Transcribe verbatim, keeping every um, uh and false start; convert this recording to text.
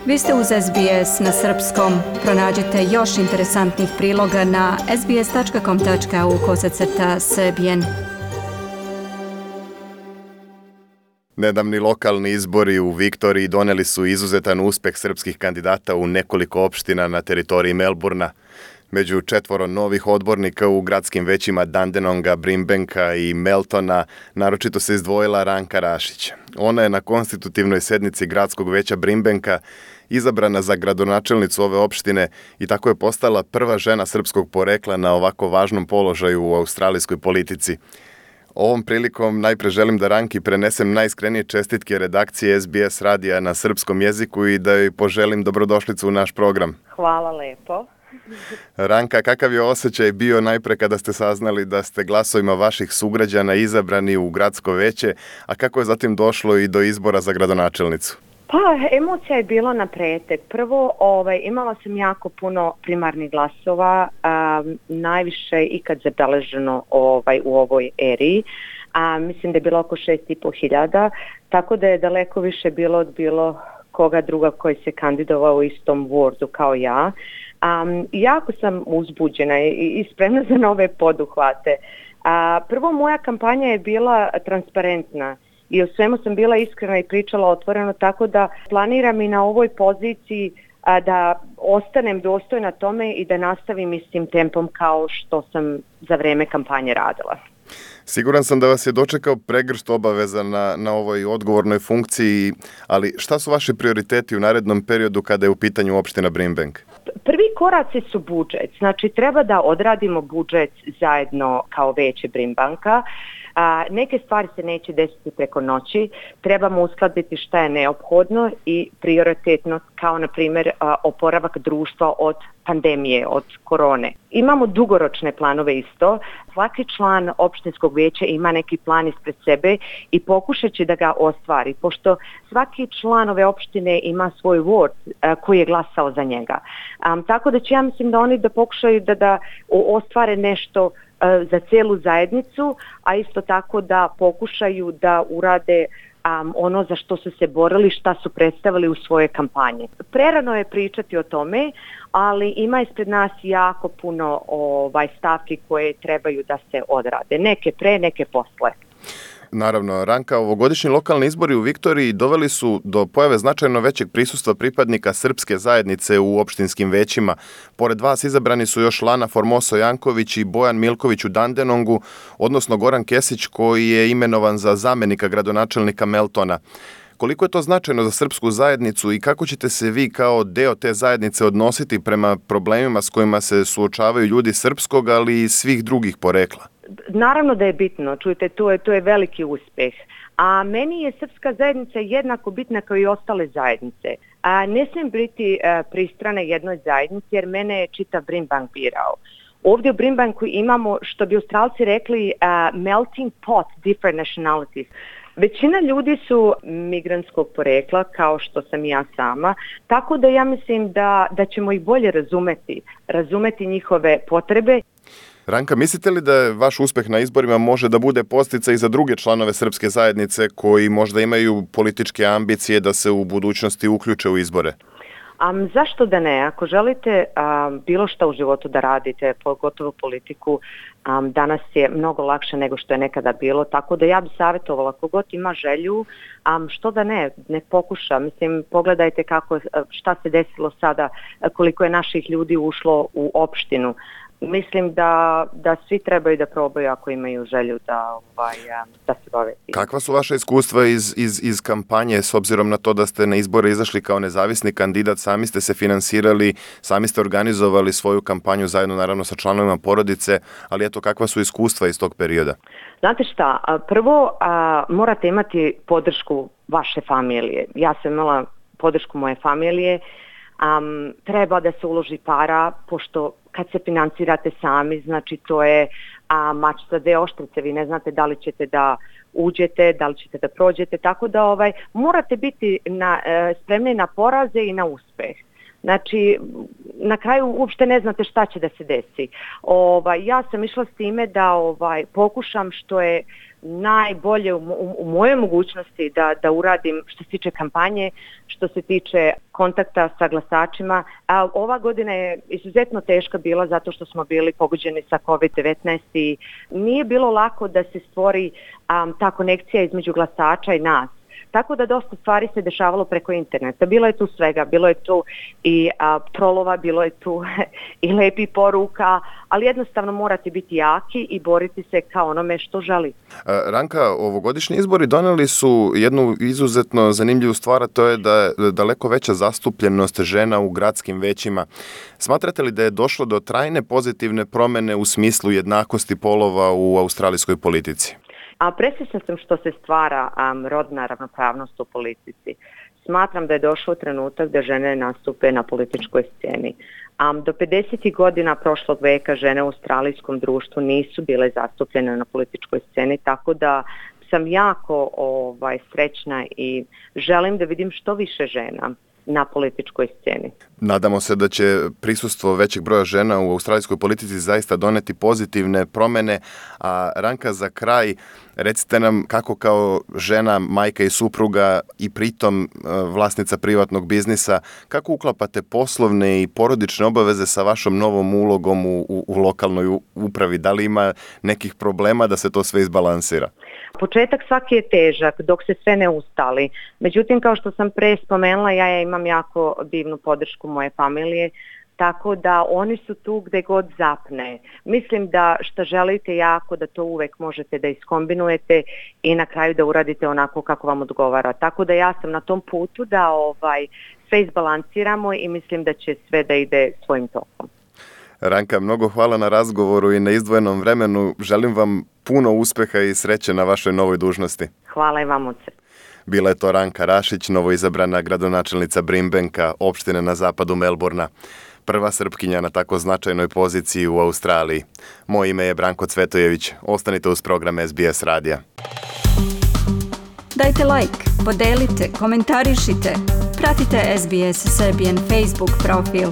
Vi ste uz S B S na srpskom. Pronađite još interesantnih priloga na sbs tačka com tačka au kosacrta srbijen. Nedavni lokalni izbori u Viktoriji doneli su izuzetan uspeh srpskih kandidata u nekoliko opština na teritoriji Melburna. Među četvoro novih odbornika u gradskim većima Dandenonga, Brimbanka i Meltona naročito se izdvojila Ranka Rašić. Ona je na konstitutivnoj sednici gradskog veća Brimbanka izabrana za gradonačelnicu ove opštine i tako je postala prva žena srpskog porekla na ovako važnom položaju u australijskoj politici. Ovom prilikom najpre želim da Ranki prenesem najiskrenije čestitke redakcije S B S radija na srpskom jeziku i da joj poželim dobrodošlicu u naš program. Hvala lepo. Ranka, kakav je osjećaj bio najpre kada ste saznali da ste glasovima vaših sugrađana izabrani u gradsko veće, a kako je zatim došlo i do izbora za gradonačelnicu? Pa, emocija je bilo na pretek. Prvo, ovaj, imala sam jako puno primarnih glasova, um, najviše ikad zabeleženo ovaj, u ovoj eri. A, mislim da je bilo oko šest i po hiljada, tako da je daleko više bilo od bilo koga druga koji se kandidovao u istom wordu kao ja. Um, jako sam uzbuđena i, i spremna za nove poduhvate. A, prvo, moja kampanja je bila transparentna i o svemu sam bila iskrena i pričala otvoreno, tako da planiram i na ovoj poziciji a, da ostanem dostojna tome i da nastavim istim tempom kao što sam za vreme kampanje radila. Siguran sam da vas je dočekao pregršt obaveza na, na ovoj odgovornoj funkciji, ali šta su vaši prioriteti u narednom periodu kada je u pitanju opština Brimbank? Prvi koraci su budžet, znači treba da odradimo budžet zajedno kao veće Brimbanka. A, neke stvari se neće desiti preko noći, trebamo uskladiti šta je neophodno i prioritetno, kao na primjer a, oporavak društva od pandemije, od korone. Imamo dugoročne planove isto, svaki član opštinskog veća ima neki plan ispred sebe i pokušat će da ga ostvari, pošto svaki član ove opštine ima svoj ward a, koji je glasao za njega. A, tako da će ja mislim da oni da pokušaju da, da ostvare nešto za celu zajednicu, a isto tako da pokušaju da urade um, ono za što su se borili, šta su predstavili u svoje kampanje. Prerano je pričati o tome, ali ima ispred nas jako puno ovaj, stavki koje trebaju da se odrade. Neke pre, neke posle. Naravno, Ranka, ovogodišnji lokalni izbori u Viktoriji doveli su do pojave značajno većeg prisustva pripadnika srpske zajednice u opštinskim većima. Pored vas izabrani su još Lana Formoso Janković i Bojan Milković u Dandenongu, odnosno Goran Kesić koji je imenovan za zamenika gradonačelnika Meltona. Koliko je to značajno za srpsku zajednicu i kako ćete se vi kao deo te zajednice odnositi prema problemima s kojima se suočavaju ljudi srpskog, ali i svih drugih porekla? Naravno da je bitno, čujte, to je, to je veliki uspeh. A meni je srpska zajednica jednako bitna kao i ostale zajednice. A ne smijem biti a, pristrana jednoj zajednici jer mene je čitav Brimbank birao. Ovdje u Brimbanku imamo, što bi Australci rekli, a, melting pot different nationalities. Većina ljudi su migrantskog porekla, kao što sam i ja sama, tako da ja mislim da, da ćemo ih bolje razumeti, razumeti njihove potrebe. Ranka, mislite li da vaš uspeh na izborima može da bude podsticaj i za druge članove srpske zajednice koji možda imaju političke ambicije da se u budućnosti uključe u izbore? Um, zašto da ne? Ako želite um, bilo šta u životu da radite, pogotovo politiku, um, danas je mnogo lakše nego što je nekada bilo, tako da ja bih savjetovala kogod ima želju, um, što da ne, ne pokuša. Mislim, pogledajte kako, šta se desilo sada, koliko je naših ljudi ušlo u opštinu. Mislim da, da svi trebaju da probaju ako imaju želju da, ovaj, da se bave. Kakva su vaše iskustva iz, iz, iz kampanje s obzirom na to da ste na izbore izašli kao nezavisni kandidat, sami ste se finansirali, sami ste organizovali svoju kampanju zajedno naravno sa članovima porodice, ali eto kakva su iskustva iz tog perioda? Znate šta, prvo a, morate imati podršku vaše familije. Ja sam imala podršku moje familije. Um, treba da se uloži para, pošto kad se financirate sami, znači to je a, mač sa dve oštrice, vi ne znate da li ćete da uđete, da li ćete da prođete, tako da ovaj, morate biti na, e, spremni na poraze i na uspeh. Znači, na kraju uopšte ne znate šta će da se desi. Ovaj, ja sam išla s time da ovaj, pokušam što je najbolje u, u, u mojoj mogućnosti da, da uradim što se tiče kampanje, što se tiče kontakta sa glasačima. A ova godina je izuzetno teška bila zato što smo bili pogođeni sa kovid devetnaest i nije bilo lako da se stvori um, ta konekcija između glasača i nas. Tako da dosta stvari se dešavalo preko interneta. Bilo je tu svega, bilo je tu i a, trolova, bilo je tu i lepi poruka, ali jednostavno morate biti jaki i boriti se kao onome što želi. Ranka, ovogodišnji izbori doneli su jednu izuzetno zanimljivu stvar, a to je da je daleko veća zastupljenost žena u gradskim većima. Smatrate li da je došlo do trajne pozitivne promene u smislu jednakosti polova u australijskoj politici? A presvjesna sam što se stvara um, rodna ravnopravnost u politici. Smatram da je došao trenutak da žene nastupe na političkoj sceni. Um, do pedesetih godina prošlog veka žene u australijskom društvu nisu bile zastupljene na političkoj sceni, tako da sam jako ovaj, srećna i želim da vidim što više žena na političkoj sceni. Nadamo se da će prisustvo većeg broja žena u australijskoj politici zaista doneti pozitivne promene. A Ranka, za kraj, recite nam kako kao žena, majka i supruga i pritom vlasnica privatnog biznisa, kako uklapate poslovne i porodične obaveze sa vašom novom ulogom u, u, u lokalnoj upravi? Da li ima nekih problema da se to sve izbalansira? Početak svaki je težak dok se sve ne ustali. Međutim, kao što sam pre spomenula, ja, ja imam jako divnu podršku moje familije, tako da oni su tu gde god zapne. Mislim da što želite jako, da to uvek možete da iskombinujete i na kraju da uradite onako kako vam odgovara. Tako da ja sam na tom putu da ovaj sve izbalansiramo i mislim da će sve da ide svojim tokom. Ranka, mnogo hvala na razgovoru i na izdvojenom vremenu. Želim vam puno uspeha i sreće na vašoj novoj dužnosti. Hvala i vam, oce. Bila je to Ranka Rašić, novoizabrana gradonačelnica Brimbanka, opštine na zapadu Melbourna. Prva Srpkinja na tako značajnoj poziciji u Australiji. Moje ime je Branko Cvetojević. Ostanite uz program S B S radija. Dajte like, podelite, komentarišite. Pratite S B S Serbian Facebook profil.